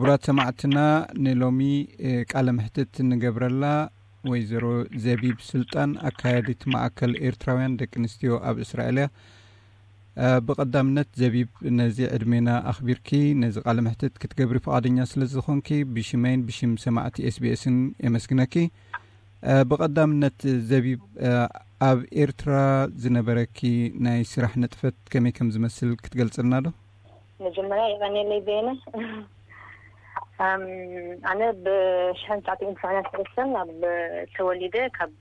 ክቡራት ሰማዕትና፣ ንሎሚ ቃለ መሕትት እንገብረላ ወይዘሮ ዘቢብ ስልጣን፣ ኣካያዲት ማእከል ኤርትራውያን ደቂ ኣንስትዮ ኣብ እስራኤል እያ። ብቐዳምነት ዘቢብ፣ ነዚ ዕድሜና ኣኽቢርኪ ነዚ ቃለ መሕትት ክትገብሪ ፍቓደኛ ስለ ዝኾንኪ፣ ብሽመይን ብሽም ሰማዕቲ ኤስቢኤስን የመስግነኪ። ብቐዳምነት ዘቢብ፣ ኣብ ኤርትራ ዝነበረኪ ናይ ስራሕ ንጥፈት ከመይ ከም ዝመስል ክትገልጽልና ዶ? መጀመርያ የቐንየለይ በየነ። ኣነ ብሽሕን ትሽዓተ ሚእትን ሰማንያን ሰለስተን ኣብ ተወሊደ፣ ካብ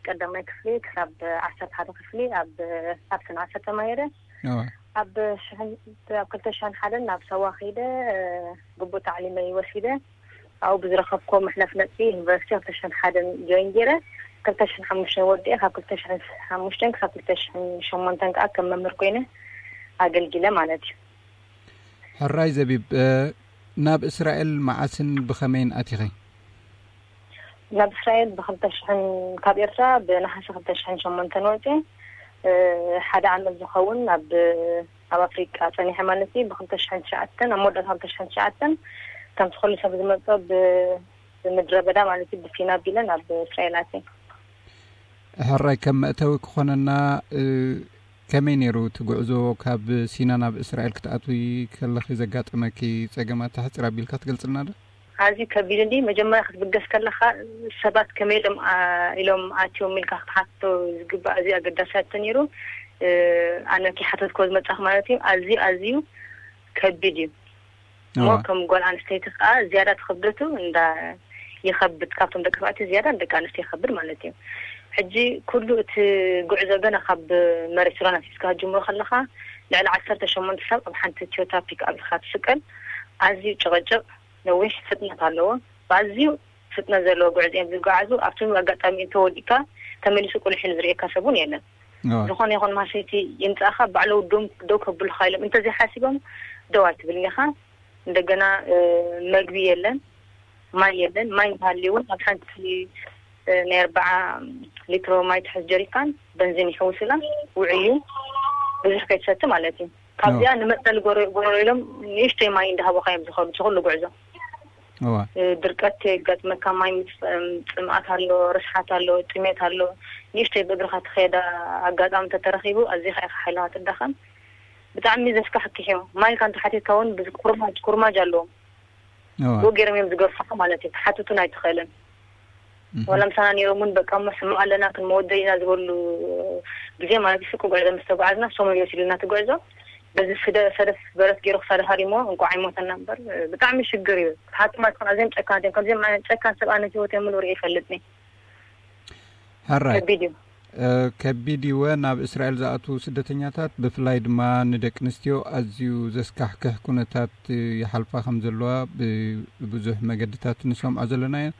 ቀዳማይ ክፍሊ ክሳብ ዓሰርተ ሓደ ክፍሊ ኣብ ኣብ ሰንዓፈ ተማሂረ። ኣብ ሽሕን ኣብ ክልተ ሽሕን ሓደን ናብ ሳዋ ከይደ፣ ግቡእ ታዕሊመይ ወሲደ። ኣብኡ ብዝረኸብኮ መሕለፍ ነጥቢ ዩኒቨርሲቲ ክልተ ሽሕን ሓደን ጆይን ገይረ፣ ክልተ ሽሕን ሓሙሽተን ወዲኤ፣ ካብ ክልተ ሽሕን ሓሙሽተን ክሳብ ክልተ ሽሕን ሸሞንተን ከዓ ከም መምህር ኮይነ ኣገልጊለ ማለት እዩ። ሕራይ ዘቢብ፣ ናብ እስራኤል መዓስን ብኸመይን ኣቲኸ? ናብ እስራኤል ብክልተ ሽሕን ካብ ኤርትራ ብነሓሰ ክልተ ሽሕን ሸሞንተን ወፅየ። ሓደ ዓመት ዝኸውን ኣብ ኣብ ኣፍሪቃ ፀኒሐ ማለት እዩ። ብክልተ ሽሕን ትሽዓተን ኣብ መወዳእታ ክልተ ሽሕን ትሽዓተን ከምቲ ኩሉ ሰብ ዝመፆ ብ- ብምድረ በዳ ማለት እዩ፣ ብሲና ኣቢለ ናብ እስራኤል ኣትየ። ሕራይ፣ ከም መእተዊ ክኾነና፣ ከመይ ነይሩ እቲ ጉዕዞ? ካብ ሲና ናብ እስራኤል ክትኣትዊ ከለኺ ዘጋጠመኪ ጸገማት ሕጽር ኣቢልካ ትገልጽልና ዶ? ኣዝዩ ከቢድ እንዲ መጀመርያ ክትብገስ ከለኻ ሰባት ከመይ ኢሎም ኢሎም ኣትዮም ኢልካ ክትሓቶ ዝግባእ ኣዝዩ ኣገዳሲ ሕቶ ነይሩ። ኣነ ከይሓተትክዎ ዝመጻኹ ማለት እዩ። ኣዝዩ ኣዝዩ ከቢድ እዩ። እሞ ከም ጓል ኣንስተይቲ ከዓ ዝያዳ ትኽብደቱ እንዳ ይኸብድ፣ ካብቶም ደቂ ተባዕትዮ ዝያዳ ንደቂ ኣንስትዮ ይኸብድ ማለት እዩ። ሕጂ ኩሉ እቲ ጉዕዞ ገና ካብ መሬት ሱዳን ኣትሒዝካ ክትጅምሮ ከለኻ ልዕሊ ዓሰርተ ሸሞንተ ሰብ ኣብ ሓንቲ ቶዮታ ፒክ ኣፕ ኢኻ ትስቀል። ኣዝዩ ጭቕጭቕ፣ ነዊሕ ፍጥነት ኣለዎ። ብኣዝዩ ፍጥነት ዘለዎ ጉዕዞ እዮም ዝጓዓዙ። ኣብቲ ኣጋጣሚ እንተወዲእካ ተመሊሱ ቁልሕ ኢሉ ዝርእየካ ሰብ እውን የለን። ዝኾነ ይኹን ማሸይቲ ይምጻእኻ ባዕለው ደው ከብሉኻ ኢሎም እንተዘይሓሲቦም ደው ኣይትብልን ኢኻ። እንደገና መግቢ የለን፣ ማይ የለን። ማይ እንተሃልዩ እውን ኣብ ሓንቲ ናይ ኣርባዓ ሊትሮ ማይ ትሕዝ ጀሪካን በንዚን ይሕውስላ ውዕዩ ብዙሕ ከይትሰቲ ማለት እዩ። ካብዚኣ ንመፅለሊ ጎረሮ ኢሎም ንእሽተይ ማይ እንዳሃቡኻ እዮም ዝኸዱ እቲ ኩሉ ጉዕዞ። ድርቀት የጋጥመካ፣ ማይ ምፅማት ኣሎ፣ ርስሓት ኣሎ፣ ጥሜት ኣሎ። ንእሽተይ ብእግርኻ ትኸዳ ኣጋጣሚ እንተተረኺቡ ኣዚኻ ኢኻ ሓይልኻ ትዳኸም። ብጣዕሚ ዘስካሕክሕ እዩ። ማይ ኢልካ እንተሓቲትካ እውን ኩርማጅ ኩርማጅ ኣለዎም። ብኡ ገይሮም እዮም ዝገርፉኻ ማለት እዩ። ክሓትቱን ኣይትኽእልን። ዋላ ምሳና ነይሮም እውን በቃ እሞ ሕማቕ ኣለና ክንመወደይ ኢና ዝበሉ ግዜ ማለት እዩ። ስቁ ጉዕዞ ምስ ተጓዓዝና ሶም እዮም ይወስዱልና እቲ ጉዕዞ። በዚ ስደ ሰደፍ በረት ገይሩ ክሳደ ሃሪሞ እንቋዕ ኣይሞተና እምበር ብጣዕሚ ሽግር እዩ። ክሓቶም ኣይትኽእልን። ኣዝዮም ጨካናት እዮም። ከምዚኦም ዓይነት ጨካን ሰብ ኣነ ህይወት የምሉ ርኢ ይፈልጥኒ። ሕራይ ከቢድ እዩ። ከቢድ ይወ ናብ እስራኤል ዝኣትዉ ስደተኛታት ብፍላይ ድማ ንደቂ ኣንስትዮ ኣዝዩ ዘስካሕክሕ ኩነታት ይሓልፋ ከም ዘለዋ ብብዙሕ መገድታት ንሰምዖ ዘለና ኢና።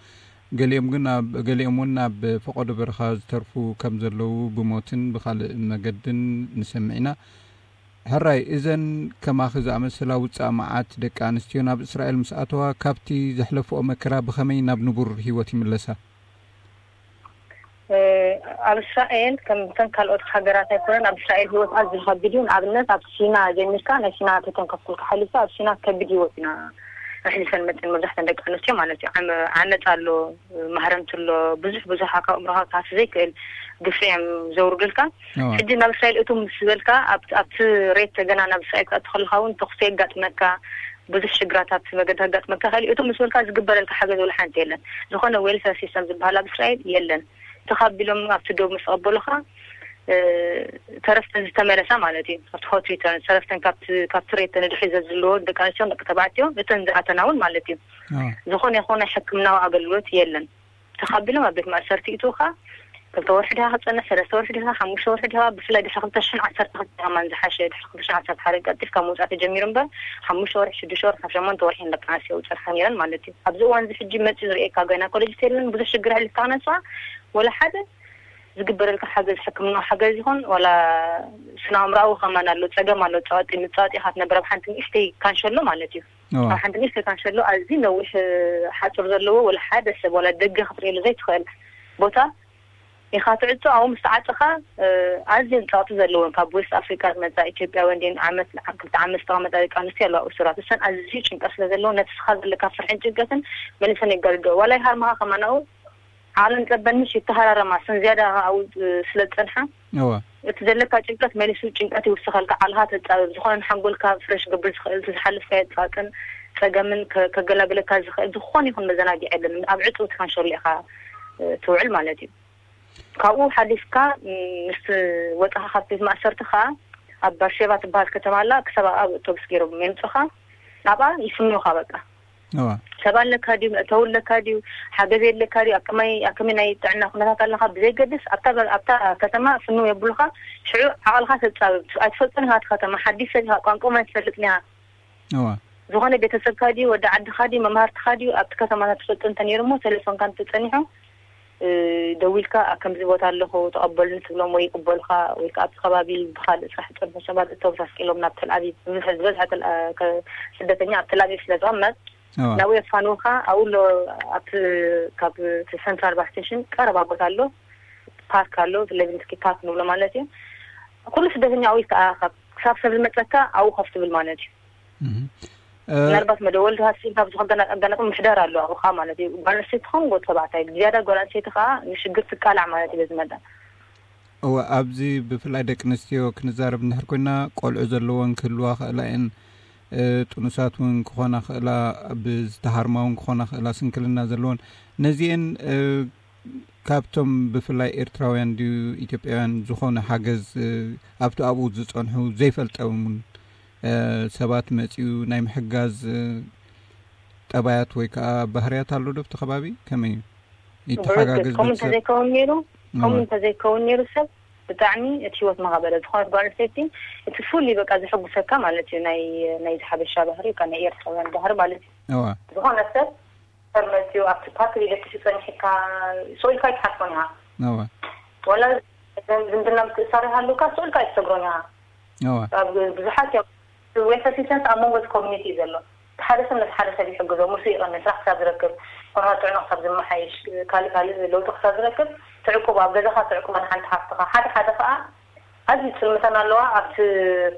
ገሊኦም ግን ኣብ ገሊኦም እውን ናብ ፈቐዶ በረኻ ዝተርፉ ከም ዘለዉ ብሞትን ብኻልእ መገድን ንሰምዕ ኢና። ሕራይ እዘን ከማኺ ዝኣመሰላ ውጻእ መዓት ደቂ ኣንስትዮ ናብ እስራኤል ምስ ኣተዋ ካብቲ ዘሕለፍኦ መከራ ብኸመይ ናብ ንቡር ህይወት ይምለሳ? ኣብ እስራኤል ከም ተን ካልኦት ሃገራት ኣይኮነን። ኣብ እስራኤል ህይወት ኣዝዩ ከቢድ እዩ። ንኣብነት ኣብ ሲና ጀሚርካ ናይ ሲና ተተንከፍኩልካ ሓሊፋ ኣብ ሲና ከቢድ ህይወት ኢና ኣሕሊፈን መፅን መብዛሕተን ደቂ ኣንስትዮ ማለት እዩ። ዓመ- ዓመፅ ኣሎ፣ ማህረምቲ ኣሎ፣ ብዙሕ ብዙሕ ካብ ኣእምሮኻ ክሃሲ ዘይክእል ግፍዒ እዮም ዘውርዱልካ። ሕጂ ናብ እስራኤል እቱ ምስ ዝበልካ ኣብቲ ሬት ገና ናብ እስራኤል ክትኣቱ ከለካ እውን ተኩሲ የጋጥመካ፣ ብዙሕ ሽግራት ኣብቲ መገዲ ከጋጥመካ ይኽእል እዩ። እቱ ምስ በልካ ዝግበረልካ ሓገዝ ወላ ሓንቲ የለን። ዝኾነ ዌልፌር ሲስተም ዝበሃል ኣብ እስራኤል የለን። ተኻቢሎም ኣብቲ ዶብ ምስ ተቐበሉኻ ተረፍተን ዝተመለሳ ማለት እዩ። ኣብቲ ሆት ሪተርን ተረፍተን ካብቲ ሬት ንድሕሪ ዘዝልዎ ደቂ ኣንስትዮ ደቂ ተባዕትዮ እተን ዝኣተና እውን ማለት እዩ። ዝኾነ ይኾነ ሕክምናዊ ኣገልግሎት የለን። ተኻቢሎም ኣብ ቤት ማእሰርቲ ይእትውኻ። ክልተ ወርሒ ድኻ ክትፀንሕ፣ ሰለስተ ወርሒ ድኻ፣ ሓሙሽተ ወርሒ ድኻ፣ ብፍላይ ድሕሪ ክልተ ሽሕን ዓሰርተ ክልተ ከማን ዝሓሸ፣ ድሕሪ ክልተ ሽሕን ዓሰርተ ሓደ ቀልጢፍካ ምውፃእ ተጀሚሩ እምበር ሓሙሽተ ወርሒ፣ ሽዱሽተ ወርሒ፣ ካብ ሸሞንተ ወርሒ ንደቂ ኣንስትዮ ይውፀልካ ነይረን ማለት እዩ። ኣብዚ እዋን እዚ ሕጂ መፂኡ ዝርእየካ ጋይናኮሎጂስት የለን። ብዙሕ ሽግር ኣሕሊፍካ ክነስዋ ወላ ሓደ ዝግበረልካ ሓገዝ ሕክምናዊ ሓገዝ ይኹን ዋላ ስነ ኣእምሮኣዊ ከማን ኣሎ፣ ፀገም ኣሎ። ፀዋጢ ምፀዋጢ ኢኻ ትነብር ኣብ ሓንቲ ንእሽተይ ካንሸሎ ማለት እዩ። ኣብ ሓንቲ ንእሽተይ ካንሸሎ ኣዝዩ ነዊሕ ሓፁር ዘለዎ ወላ ሓደ ሰብ ዋላ ደገ ክትርእየሉ ዘይትኽእል ቦታ ኢኻ ትዕጾ። ኣብኡ ምስ ተዓጸኻ፣ ኣዝየን ጸቕጢ ዘለወን ካብ ዌስት ኣፍሪካ ዝመጻ ኢትዮጵያውያን ድን ዓመት ክልተ ዓመት ዝተቐመጣ ደቂ ኣንስትዮ ኣለዋ እሱራት። እሰን ኣዝዩ ጭንቀት ስለ ዘለዎ ነቲ ስኻ ዘለካ ፍርሕን ጭንቀትን መሊሰን የጋድዶ። ዋላ ይሃርምኻ ከማናኡ ዓለም ጸበንሽ ይተሃራረማ። እሰን ዝያዳ ኣብኡ ስለ ዝጸንሓ እዋ እቲ ዘለካ ጭንቀት መሊሱ ጭንቀት ይውስኸልካ። ዓልኻ ተጻብብ፣ ዝኾነ ንሓንጎልካ ፍረሽ ክገብር ዝኽእል፣ እቲ ዝሓለፍካዮ ጻጥን ጸገምን ከ- ከገላግለካ ዝኽእል ዝኾነ ይኹን መዘናግዒ የለን። ኣብ ዕጽውቲ ካንሸሎ ኢኻ ትውዕል ማለት እዩ። ካብኡ ሓሊፍካ ምስ ወፃኻ ካብ ቤት ማእሰርቲ ከዓ ኣብ ባርሼቫ ትበሃል ከተማ ኣላ። ክሳብ ኣብ ኣውቶቡስ ገይሮም የምፅኻ፣ ናብኣ ይፍንውኻ። በቃ ሰባ ኣለካ ድዩ፣ መእተዊ ኣለካ ድዩ፣ ሓገዝ ኣለካ ድዩ፣ ኣከማይ ኣከመይ ናይ ጥዕና ኩነታት ኣለካ ብዘይገድስ ኣብታ ከተማ ፍንው የብሉካ። ሽዑ ዓቕልካ ተፃብብ። ኣይትፈልጦን ኢካ እቲ ከተማ፣ ሓዲሽ ሰብ ኢካ፣ ቋንቋ ኣይትፈልጥን ኢካ። ዝኾነ ቤተሰብካ ድዩ፣ ወዲ ዓድካ ድዩ፣ መማህርትካ ድዩ ኣብቲ ከተማ ትፈልጦ እንተነይሩ እሞ ቴሌፎንካ እንተፀኒሑ ደዊልካ ኣብ ከምዚ ቦታ ኣለኹ ተቐበሉኒ ትብሎም ወይ ይቕበሉኻ። ወይ ከዓ ኣብቲ ከባቢ ብካልእ ስራሕ ዝፀንሑ ሰባት እተወሳስቂሎም ናብ ተልኣቪቭ፣ ዝበዝሐ ዝበዝሐ ተል- ከ- ስደተኛ ኣብ ተልኣቪቭ ስለ ዝቕመጥ ናብኡ የፋንውኻ። ኣብኡ ኣሎ ኣብቲ ካብ እቲ ሰንትራል ባስ ስቴሽን ቀረባ ቦታ ኣሎ፣ ፓርክ ኣሎ፣ ሌቪንስኪ ፓርክ ንብሎ ማለት እዩ። ኩሉ ስደተኛ ኣብኡ ይተኣኻኸብ። ክሳብ ሰብ ዝመፀካ ኣብኡ ኮፍ ትብል ማለት እዩ። ምናልባት መደወል ተሃሲብ ካብ ዝኾን ኣጋናቂ ምሕዳር ኣሎ ኣብኡ ከዓ ማለት እዩ። ጓል ኣንስተይቲ ትኸውን ጎት ተባዕታይ ዝያዳ ጓል ኣንስተይቲ ከዓ ንሽግር ትቃላዕ ማለት እዩ። በዚ መጠን እወ ኣብዚ ብፍላይ ደቂ ኣንስትዮ ክንዛረብ እንድሕር ኮይና ቆልዑ ዘለወን ክህልዋ ክእላ እየን። ጥኑሳት እውን ክኾና ክእላ፣ ብዝተሃርማ እውን ክኾና ክእላ፣ ስንክልና ዘለወን ነዚአን ካብቶም ብፍላይ ኤርትራውያን ድዩ ኢትዮጵያውያን ዝኾነ ሓገዝ ኣብቲ ኣብኡ ዝጸንሑ ዘይፈልጠ እውን ሰባት መጺኡ ናይ ምሕጋዝ ጠባያት ወይ ከዓ ባህርያት ኣሎ ዶ ኣብቲ ከባቢ? ከመይ እዩ? ይተሓጋገዝ ከምኡ ቤተሰብ? እንተዘይከውን ነይሩ ከምኡ እንተዘይከውን ነይሩ ሰብ ብጣዕሚ እቲ ህይወት መኻበረ። ዝኾነት ጓል ኣንስተይቲ እቲ ፍሉይ በቃ ዘሐጉሰካ ማለት እዩ። ናይ ናይ ሓበሻ ባህሪ፣ ካብ ናይ ኤርትራውያን ባህሪ ማለት እዩ። እዋ ዝኾነ ሰብ ሰብ መፅዩ ኣብቲ ፓርክ ሊደክሲ ፀኒሕካ ስቕ ኢልካ ኣይትሓልፎን ኢኻ። እዋ ዋላ ዝምድና ምትእሳር ይሃሉካ ስቕ ኢልካ ኣይትሰግሮን ኢኻ። እዋ ኣብ ብዙሓት እዮም እቲ ዌልፈር ሲስተምስ ኣብ መንጎ እቲ ኮሚኒቲ እዩ ዘሎ። እቲ ሓደ ሰብ ነቲ ሓደ ሰብ ይሕግዞ፣ ምስኡ ይቐንስ፣ ስራሕ ክሳብ ዝረክብ፣ ኩነታት ጥዕና ክሳብ ዝመሓየሽ፣ ካልእ ካልእ ለውጢ ክሳብ ዝረክብ ትዕቁቦ፣ ኣብ ገዛኻ ትዕቁቦ ንሓንቲ ሓፍትኻ። ሓደ ሓደ ከዓ ኣዝዩ ፅልምተን ኣለዋ። ኣብቲ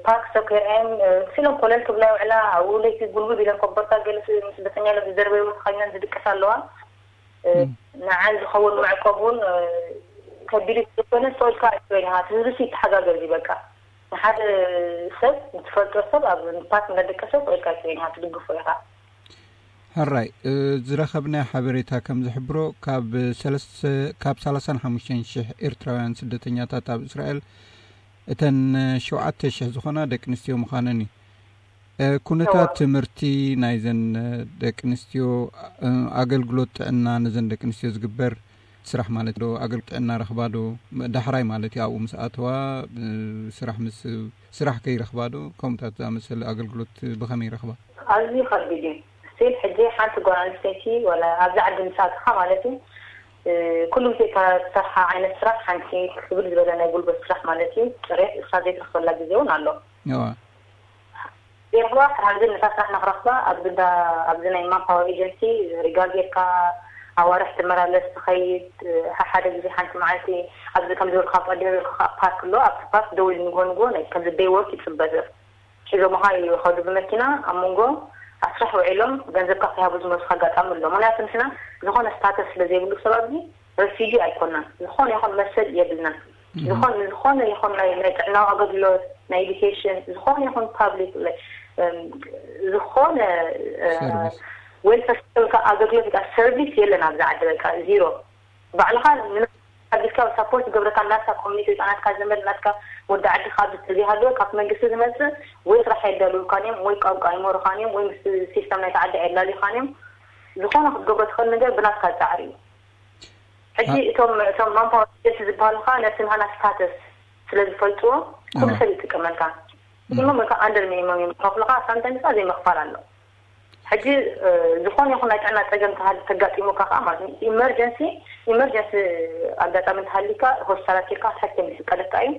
ፓርክ ሰብ ከይርኣየን ክሲሎም ኮለል ክብላ ይውዕላ። ኣብኡ ለይቲ ጉልብብ ኢለን ኮቦርታ ገለ ስደተኛ ኢለን ዝደርበይዎ ተኸዲነን ዝድቅሳ ኣለዋ። ንዓን ዝኸውን መዕቆብ እውን ከቢድ እዩ። ዝኾነ ስቕ ኢልካ ኣይትበይን ኢኻ። እቲ ህዝቢ ሲ ይተሓጋገዝ እዩ በቃ። ንሓደ ሰብ ንትፈልጦ ሰብ ኣብ ፓርክ እንዳደቀሰ ስቕ ኢልካ ኣይትበይን ኢኻ፣ ትድግፎ ኢኻ። ሕራይ ዝረኸብናዮ ሓበሬታ ከም ዝሕብሮ ካብ ሰለስተ ካብ ሰላሳን ሓሙሽተን ሽሕ ኤርትራውያን ስደተኛታት ኣብ እስራኤል እተን ሸውዓተ ሽሕ ዝኾና ደቂ ኣንስትዮ ምዃነን እዩ። ኩነታት ትምህርቲ ናይዘን ደቂ ኣንስትዮ፣ ኣገልግሎት ጥዕና ነዘን ደቂ ኣንስትዮ ዝግበር ስራሕ ማለት ዶ ኣገልግሎት ጥዕና ረኽባ ዶ ዳሕራይ ማለት እዩ ኣብኡ ምስ ኣተዋ ስራሕ ምስ ስራሕ ከይረኽባ ዶ ከምኡታት ዝኣመሰለ ኣገልግሎት ብኸመይ ይረኽባ? ኣዝዩ ከቢድ እዩ። ስቲል ሕጂ ሓንቲ ጓል ኣንስተይቲ ወላ ኣብዚ ዓዲ ምስ ኣተኻ ማለት እዩ ኩሉ ግዜ እታ ትሰርሓ ዓይነት ስራሕ ሓንቲ ክብል ዝበለ ናይ ጉልበት ስራሕ ማለት እዩ ፅሬት እሳ ዘይትረኽበላ ግዜ እውን ኣሎ። እዋ ዜርባ ሓዚ ነታ ስራሕ ንክረኽባ ኣብዚ ዳ ኣብዚ ናይ ማንፓወር ኤጀንሲ ሪጋ ጌርካ ኣዋርሕ ትመላለስ ትኸይድ። ሓደ ግዜ ሓንቲ መዓልቲ ኣብዚ ከም ዝበልካ ቀዲም ዝበልካ ከዓ ፓርክ ኣሎ። ኣብቲ ፓርክ ደው ኢሉ ንግሆ ንግሆ ናይ ከምዚ ደይ ወርክ ይፅበ ሰብ ሒዞምኻ ይኸዱ ብመኪና ኣብ መንጎ ኣብ ስራሕ ውዒሎም ገንዘብካ ከይሃቡ ዝመልሱካ ኣጋጣሚ ኣሎ። ምክንያቱ ንሕና ዝኾነ ስታተስ ስለ ዘይብሉ ሰብ ኣብዚ ረፊጂ ኣይኮናን። ዝኾነ ይኹን መሰል የብልናን። ዝኾን ዝኾነ ይኹን ናይ ናይ ጥዕናዊ ኣገልግሎት ናይ ኤዱኬሽን ዝኾነ ይኹን ፓብሊክ ዝኾነ ዌልፈር ሲስተም ኣገልግሎት ጋ ሰርቪስ የለን ኣብዚ ዓዲ በቃ ዚሮ። ባዕልኻ ንሓድግካ ሳፖርት ዝገብረካ ናትካ ኮሚኒቲ ወይ ናትካ ዘመድ ናትካ ወዲ ዓድኻ ኣብዚ ተዘይሃለወ ካብ መንግስቲ ዝመፅእ ወይ ስራሕ የዳልውልካን እዮም ወይ ቋንቋ ኣይመሩኻን እዮም ወይ ምስ ሲስተም ናይቲ ዓዲ ኣየላልዩኻን እዮም። ዝኾነ ክትገብሮ ትኽእል ነገር ብናትካ ፃዕሪ እዩ። ሕጂ እቶም እቶም ማንፓወር ኤጀንሲ ዝበሃሉ ከዓ ነቲ ናህና ስታተስ ስለ ዝፈልጥዎ ኩሉ ሰብ ይጥቀመልካ። ሚኒመም ወይ ከዓ ኣንደር ሚኒመም እዮም ዝኸፍሉካ። ሳምታይምስ ከዓ ዘይምኽፋል ኣሎ። ሕጂ ዝኾነ ይኹን ናይ ጥዕና ፀገም ተሃሊ ተጋጢሙካ ከዓ ማለት እዩ ኢመርጀንሲ ኢመርጀንሲ ኣጋጣሚ እንተሃሊካ ሆስፒታላት ኬድካ ክትሕክም ይፍቀደካ እዩ።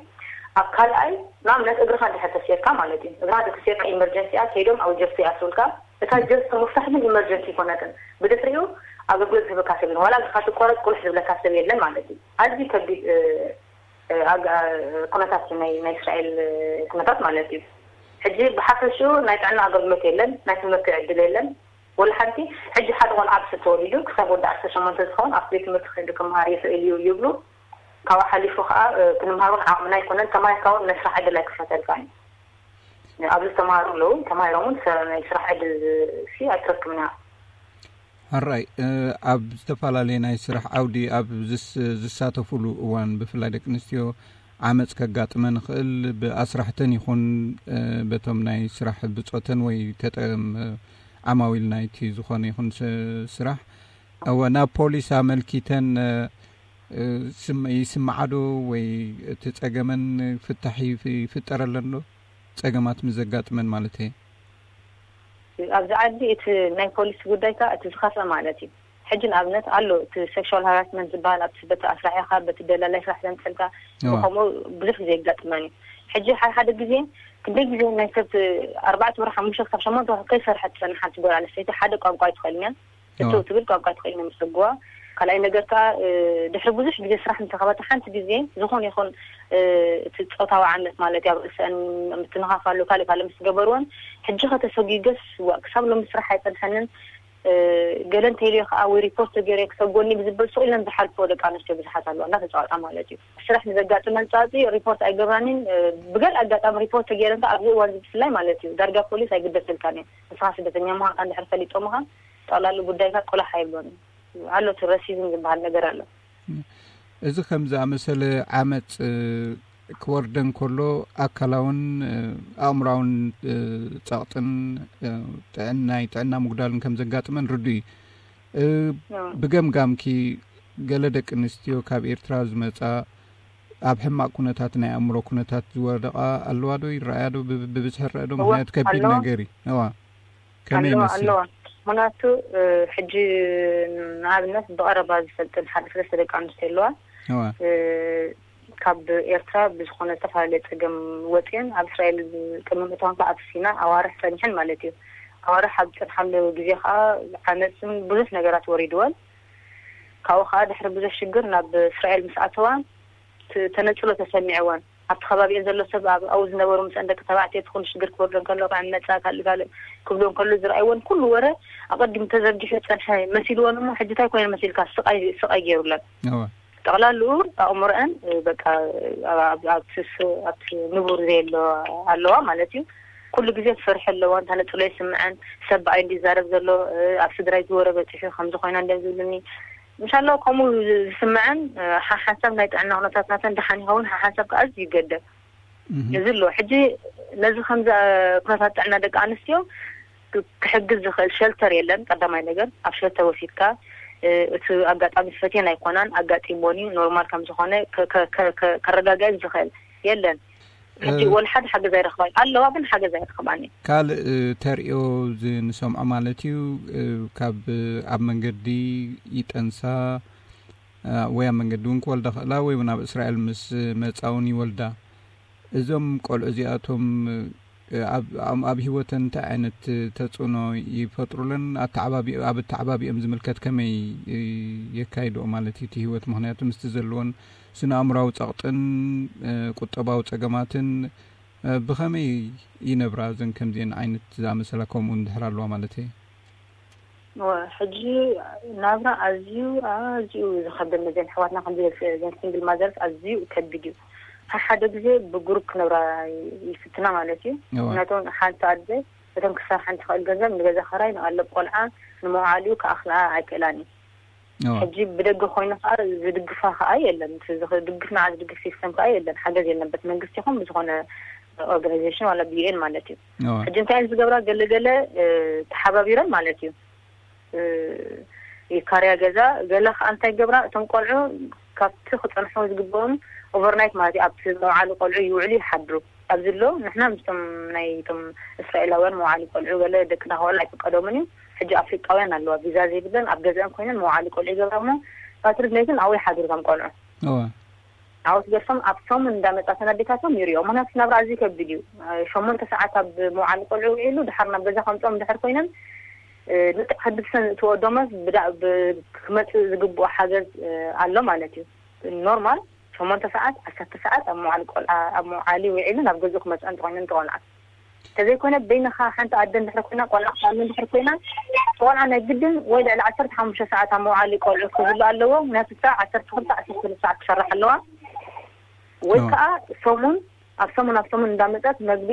ኣብ ካልኣይ ንኣብነት እግርኻ እንድሕር ተሲርካ ማለት እዩ እግርኻ እንድሕር ተሲርካ ኢመርጀንሲ እያ ከይዶም ኣብ ጀርሲ ይኣስሩልካ። እታ ጀርሲ ምፍታሕ ግን ኢመርጀንሲ ኣይኮነትን። ብድሕሪኡ ኣገልግሎት ዝህበካ ሰብ የለን። ዋላ እግርኻ ትቆረጽ ቁልሕ ዝብለካ ሰብ የለን ማለት እዩ። ኣዝዩ ከቢድ ኩነታት ናይ እስራኤል ኩነታት ማለት እዩ። ሕጂ ብሓፈሽኡ ናይ ጥዕና ኣገልግሎት የለን፣ ናይ ትምህርቲ ዕድል የለን። ወላ ሓንቲ ሕጂ ሓደ ቆልዓ ብስብ ተወሊዱ ክሳብ ወዲ ዓሰርተ ሸሞንተ ዝኸውን ኣብቲ ቤት ትምህርቲ ከይዱ ክመሃር ይኽእል እዩ ይብሉ። ካብኡ ሓሊፉ ከዓ ክንምሃር እውን ዓቕምና ኣይኮነን። ተማሂርካ እውን ናይ ስራሕ ዕድል ኣይክፈተልካ እዩ። ኣብዚ ዝተማሃሩ ኣለዉ፣ ተማሂሮም እውን ናይ ስራሕ ዕድል ሲ ኣይትረክብና። ሕራይ፣ ኣብ ዝተፈላለየ ናይ ስራሕ ዓውዲ ኣብ ዝሳተፉሉ እዋን ብፍላይ ደቂ ኣንስትዮ ዓመፅ ከጋጥመን ይኽእል። ብኣስራሕተን ይኹን በቶም ናይ ስራሕ ብፆተን ወይ ተጠም ዓማዊል ናይቲ ዝኾነ ይኹን ስራሕ እወ ናብ ፖሊስ ኣመልኪተን ይስምዓዶ ወይ እቲ ፀገመን ፍታሕ ይፍጠረለን ዶ? ፀገማት ምስ ዘጋጥመን ማለት እየ። ኣብዚ ዓዲ እቲ ናይ ፖሊስ ጉዳይ ከ እቲ ዝኸፍአ ማለት እዩ። ሕጂ ንኣብነት ኣሎ እቲ ሴክሹዋል ሃራስመንት ዝበሃል ኣብቲ በቲ ኣስራሒኻ በቲ ደላላይ ስራሕ ዘምፀልካ ከምኡ ብዙሕ ግዜ ይጋጥመን እዩ። ሕጂ ሓደ ሓደ ግዜ ክንደይ ግዜ ናይ ሰብ ኣርባዕተ ወርሒ ሓሙሽተ ክሳብ ሸሞንተ ወርሒ ከይሰርሐት ትፀንሕ ሓንቲ ጓል ኣንስተይቲ ሓደ ቋንቋ ኣይትኽእልን እያ። እቶ ትብል ቋንቋ ትኽእል ንምስግዋ ካልኣይ ነገር ከዓ ድሕሪ ብዙሕ ግዜ ስራሕ እንተኸበተ ሓንቲ ግዜ ዝኾነ ይኹን እቲ ፆታዊ ዓመት ማለት ኣብ ርእሰን ምትንኻፍ ኣሎ ካልእ ካልእ ምስ ገበርወን ሕጂ ከተሰጉገስ ዋ ክሳብ ሎሚ ስራሕ ኣይፀንሐንን ገለ እንተይልዮ ከዓ ወይ ሪፖርት ተገይረ ክሰጎኒ ብዝብል ስቕ ኢለን ዝሓልፎ ደቂ ኣንስትዮ ብዙሓት ኣለዋ እንዳተፃወጣ ማለት እዩ። ስራሕ ንዘጋጥመን ፃፂ ሪፖርት ኣይገብራንን። ብገል ኣጋጣሚ ሪፖርት ተገይረን ከዓ ኣብዚ እዋን ብፍላይ ማለት እዩ ዳርጋ ፖሊስ ኣይግደሰልካን እዩ። ንስኻ ስደተኛ ምዃንካ እንድሕር ፈሊጦምኻ ጠቕላሊ ጉዳይካ ቆላሕ ኣይብሎን። ኣሎ እቲ ረሲዝም ዝበሃል ነገር ኣሎ። እዚ ከም ዝኣመሰለ ዓመፅ ክወርደን ከሎ ኣካላውን ኣእምራውን ፀቕጥን ጥዕናይ ጥዕና ምጉዳልን ከም ዘጋጥመን ርዱ እዩ። ብገምጋምኪ ገለ ደቂ ኣንስትዮ ካብ ኤርትራ ዝመፃ ኣብ ሕማቕ ኩነታት ናይ ኣእምሮ ኩነታት ዝወደቓ ኣለዋ ዶ ይረኣያ ዶ ብብዝሒ ረአ ዶ? ምክንያቱ ከቢድ ነገር እዩ። እዋ ከመይ ይመስል? ኣለዋ። ምክንያቱ ሕጂ ንኣብነት ብቐረባ ዝፈልጥን ሓደ ሰለስተ ደቂ ኣንስትዮ ኣለዋ። እዋ ካብ ኤርትራ ብዝኾነ ዝተፈላለየ ጸገም ወጽየን ኣብ እስራኤል ቅድሚ ምእታወን ከዓ ኣብ ሲና ኣዋርሕ ጸኒሐን ማለት እዩ። ኣዋርሕ ኣብ ዝጸንሓሉ ግዜ ከዓ ዓመፅን ብዙሕ ነገራት ወሪድወን። ካብኡ ከዓ ድሕሪ ብዙሕ ሽግር ናብ እስራኤል ምስ ኣተዋ ተነፅሎ ተሰሚዕወን። ኣብቲ ከባቢኤን ዘሎ ሰብ ኣብኡ ዝነበሩ ምስአን ደቂ ተባዕትዮ እቲ ኩሉ ሽግር ክወርዶ እንከሎ ክዕመፃ ካልእ ካልእ ክብሎ እንከሎ ዝረኣይወን ኩሉ ወረ ኣቐዲሙ ተዘርጊሑ ዝፀንሐ መሲልወን እሞ ሕጂ እንታይ ኮይነን መሲልካ ስቃይ ስቃይ ገይሩለን። ጠቕላልኡ ኣእምሮአን በቃ ኣብቲ ንቡር ዘየሎ ኣለዋ ማለት እዩ። ኩሉ ግዜ ትፈርሒ ኣለዋ። እንታ ነፅሎ ይስምዐን ሰብ ብኣይ እንዲ ይዛረብ ዘሎ ኣብ ስድራይ ዝወረ በፂሑ ከምዚ ኮይና እንደ ዝብልኒ ምሻላ ከምኡ ዝስምዐን ሓሓንሳብ ናይ ጥዕና ኩነታት ናተን ደሓን ይኸውን ሓሓንሳብ ከዓ ኣዝዩ ይገደል። እዚ ኣሎ ሕጂ ነዚ ከምዚ ኩነታት ጥዕና ደቂ ኣንስትዮ ክሕግዝ ዝኽእል ሸልተር የለን። ቀዳማይ ነገር ኣብ ሸልተር ወሲድካ እቲ ኣጋጣሚ ፈትየን ኣይኮናን ኣጋጢሞን እዩ ኖርማል ከም ዝኾነ ከረጋግዐን ዝኽእል የለን። ሕጂ ወላ ሓደ ሓገዝ ኣይረኽባን ኣለዋ ግን ሓገዝ ኣይረኽባን እዩ። ካልእ ተርእዮ ንሰምዖ ማለት እዩ ካብ ኣብ መንገዲ ይጠንሳ ወይ ኣብ መንገዲ እውን ክወልዳ ክእላ ወይ እውን ኣብ እስራኤል ምስ መፃ እውን ይወልዳ። እዞም ቆልዑ እዚኣቶም ኣብ ህይወተን እንታይ ዓይነት ተፅዕኖ ይፈጥሩለን? ኣብ ኣተዓባቢኦም ዝምልከት ከመይ የካይድኦ ማለት እዩ እቲ ህይወት? ምክንያቱ ምስቲ ዘለዎን ስነ ኣእምራዊ ፀቕጥን ቁጠባዊ ፀገማትን ብኸመይ ይነብራ እዘን ከምዚአን ዓይነት ዝኣመሰላ ከምኡ እንድሕር ኣለዋ ማለት እየ? ሕጂ ናብራ ኣዝዩ ኣዝዩ ዝኸብድ ነዘን ኣሕዋትና ከምዚ ዘን ሲንግል ማዘርስ ኣዝዩ ከቢድ እዩ። ሓደ ግዜ ብግሩፕ ክነብራ ይፍትና ማለት እዩ። ምክንያቱ ሓንቲ ኣደ እተን ክሰርሓን ትኽእል ገንዘብ ንገዛ ኸራይ ንቐለብ ቆልዓ ንመውዓሊኡ ክኣኽላ ኣይክእላን እዩ። ሕጂ ብደገ ኮይኑ ከዓ ዝድግፋ ከዓ የለን። ዝድግፍ ንዓ ዝድግፍ ሲስተም ከዓ የለን። ሓገዝ የለን በት መንግስቲ ይኹን ብዝኾነ ኦርጋናይዜሽን ዋላ ብዩኤን ማለት እዩ። ሕጂ እንታይ ዝገብራ ገለገለ ተሓባቢረን ማለት እዩ ይካርያ ገዛ ገለ ከዓ እንታይ ገብራ እቶም ቆልዑ ካብቲ ክፀንሑ ዝግብኦም ኦቨርናይት ማለት እዩ ኣብቲ መውዓሊ ቆልዑ ይውዕሉ ይሓድሩ። ኣብዚ ኣሎ ንሕና ምስቶም ናይ ቶም እስራኤላውያን መውዓሊ ቆልዑ ገለ ደቅና ክወላ ኣይፍቀዶምን እዩ። ሕጂ ኣፍሪቃውያን ኣለዋ ቪዛ ዘይብለን ኣብ ገዛን ኮይነን መውዓሊ ቆልዑ ይገብራ እሞ ፓትሪክ ነይትን ኣብኡ ይሓድሩ ከም ቆልዑ። ኣብኡ ትገድፎም ኣብቶም እንዳመጻተን ኣዴታቶም ይሪኦ ምክንያቱ ናብራ ኣዝዩ ከቢድ እዩ። ሸሞንተ ሰዓት ኣብ መውዓሊ ቆልዑ ውዒሉ ድሓር ናብ ገዛ ከምፅኦም ድሕር ኮይነን ልክዕ ሕድሰን እትወደመስ ክመፅእ ዝግብኦ ሓገዝ ኣሎ ማለት እዩ። ኖርማል ሸሞንተ ሰዓት ዓሰርተ ሰዓት ኣብ መዋዕሊ ቆልዓ ኣብ መዋዕሊ ውዒሉ ናብ ገዝኡ ክመፅኦ እንተኮይኑ እንተቆልዓ ተዘይኮነ በይንኻ ሓንቲ ኣደ እንድሕር ኮይና ቆልዓ ክኣሉ እንድሕር ኮይና ቆልዓ ናይ ግድን ወይ ልዕሊ ዓሰርተ ሓሙሽተ ሰዓት ኣብ መዋዕሊ ቆልዑ ክህሉ ኣለዎ። ምክንያቱ እሳ ዓሰርተ ክልተ ዓሰርተ ሰለስተ ሰዓት ክሰርሕ ኣለዋ ወይ ከዓ ሰሙን ኣብ ሰሙን ኣብ ሰሙን እንዳመፀት መግቢ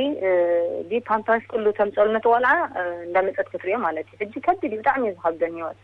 ዲ ፓምፐርስ ኩሉ ተምፀሉ ነቲ ቆልዓ እንዳመፀት ክትሪኦ ማለት እዩ። ሕጂ ከቢድ እዩ፣ ብጣዕሚ እዩ ዝኸብደን ህይወት።